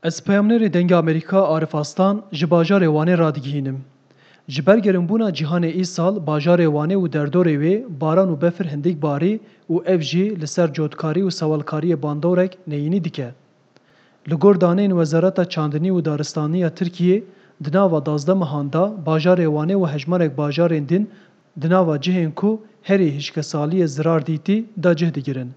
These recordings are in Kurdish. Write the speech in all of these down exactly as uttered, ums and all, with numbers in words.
Ez peyamnêrê Dengê Amerîka Arif Aslan ji bajarê Wanê radigihînim. Ji ber gerinbûna cîhanê îsal bajarê Wanê û derdorê wê baran û befir hindik barî û ev jî li ser cotkarî û sewalkariyê bandorek neyînî dike. Li gor daneyên Wezareta Çandinî û Daristaniya Tirkiyê, di nava duwazdeh mehan de bajarê Wanê û hejmarek bajarên din di nava cihên ku herî hişkesaliyê zirar dîtî de cih digirin.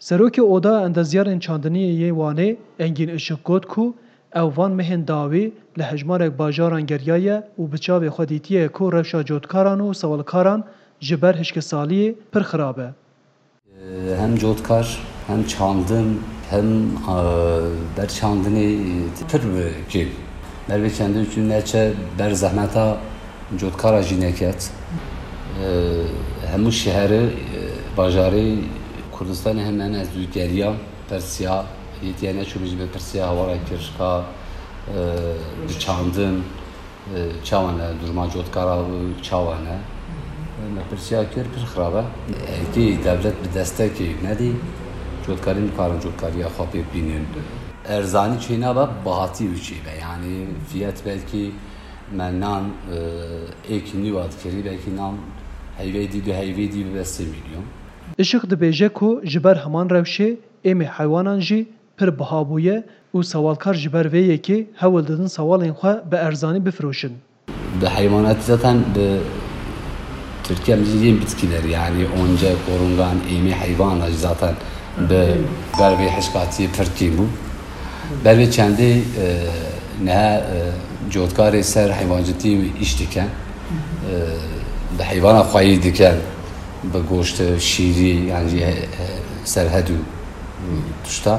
Serokê Oda Endezyarên Çandiniyê yê Wanê Engîn Işik got ku ew van mehên dawî li hejmarek bajaran geriyaye û bi çavê xwe dîtiye ku rewşa cotkaran û sewalkaran ji ber hişkesaliyê pir xirab e. Hem cotkar, hem çandin, hem, e, ber çandinê, e, pir bi kêm. Ber vê çendê çû neçe ber zehmeta cotkara jî neket. E, hemû şeheri, e, bajarê Kurdistanê hem en ez dû geriya, pirsiya, yê tiya neçû min jî bi pirsiya hawara kir ka, e, bi çandin, e, çawa ne, duruma cotkara çawa ne. Me pirsiya kir, pir xirab e. Hêkî dewlet bi destekê nedî, cotkarî nikarin cotkariya xwe pê bînin. Erzanî çênabe, bihatî û çêbe. Yanî fiyet belkî me nan, e, êk nîwa dikirî, belkî nan heyvê dî, du heyvê dî bibe sê milyon. Işik dibêje ku ji ber heman rewşê êmê heywanan jî pir biha bûye û sewalkar ji ber vê yekê hewl didin sewalên xwe bi erzanî bifiroşin. Bi heywanat zaten bi Tirkiye em jî yên bitkiler, yanî once, korungan, êmê heywana jî zaten bi ber vê hişkatiyê pir kêm bû. Ber vê çendê, e, niha, e, cotkarê ser heywancitî îş dikin. E, bi heywana xweyî dikin, bi goşt, şîrî, yan jî, e, serhed û tişta.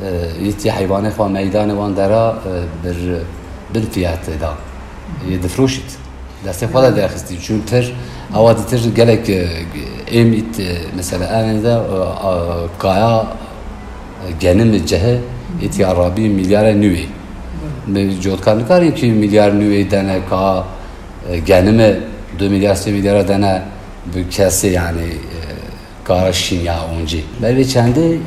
E, yê tî heywanê xwe meydanê wan dera, e, bir, bin fiyatê da. Yê difroşît. Destê xwe de derxistî. Çûn pir, ewa dîtir gelek, e, êm ît, e, mesela, en de, e, a, kaya, e, genim cehe, îtî arabî milyara nûê. Bi cotkar nikarin ki milyar nûê dene ka, e, genime du milyar, sê milyara dene bi kesê, yani, e, kara şîn ya oncî. Ber vê çendê, e,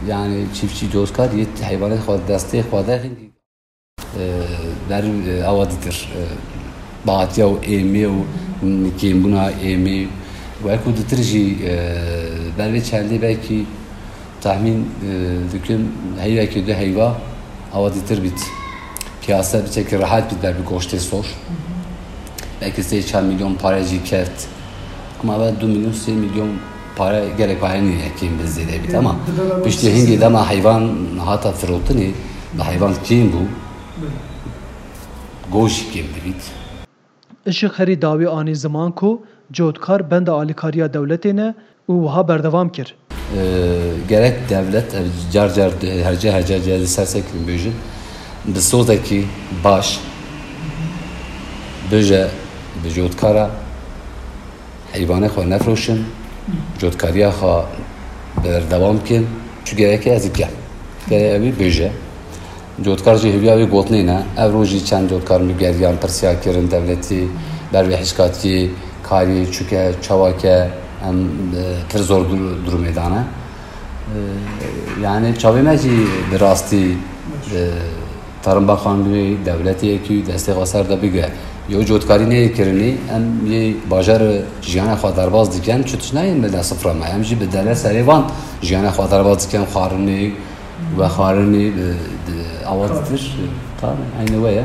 yani, çiftçî cotkar yê heywanê xwe destê xwe de, e, ber, e, awa ditir, e, bahatiya û êmê û kêmbûna êmê. Wek û ditir jî, e, ber vê çendê belkî tahmîn, e, dikim heyvekê du heyva awa ditir bît. Piyase biçekî rehet bît ber bi goştê sor. Belkî sê çar milyon pare jî keft. Ama ve du milyon, sê milyon pare gelek pare nîne kêm bi zêde bît. Ama piştî hingê dema heyvan hata firotinê, bi heyvan kêm bû, goş jî kêm dibît. Işik herî dawî anî ziman ku cotkar benda alîkariya dewletê ne û wiha berdewam kir. E, gerek dewlet, ev car car, her ca, her ca, ca, ser sekirî bêjin, bi sozekî baş bêje bi cotkara heyvanê xwe nefroşin, cotkariya xwe berdewam kin, çi gerek ez dikim. Gerek ew ê bêje. Cotkar jî hêviya wê gotinê ne. Ev roj jî çend cotkar min geriyan pirsiya kirin dewletî ber vê hişkatiyê karê çûke, çawake em, e, pir zor dur-, durumê dane. E, yani çavê me jî bi rastî, e, Tarım Bakanlığı dewletê yekî destê xwe ser de bige. Yo cotkarî neyê kirinî, em yê bajar jiyana xwe derbas dikin, çi tişt nayên me de sifra me. Em jî bi dere serê van jiyana xwe derbas dikin, xwarinê, vexwarinê, e, di, awa ditir, tamam, eyni we ye.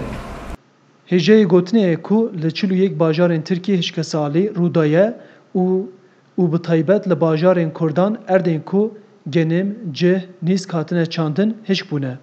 Hêjayê gotinê ye ku li çil û yek bajarên Tirkiyê hişkesalî rû daye û û bi taybet li bajarên Kurdan erdên ku genim, cih, nîsk hatine çandin hişk bûne.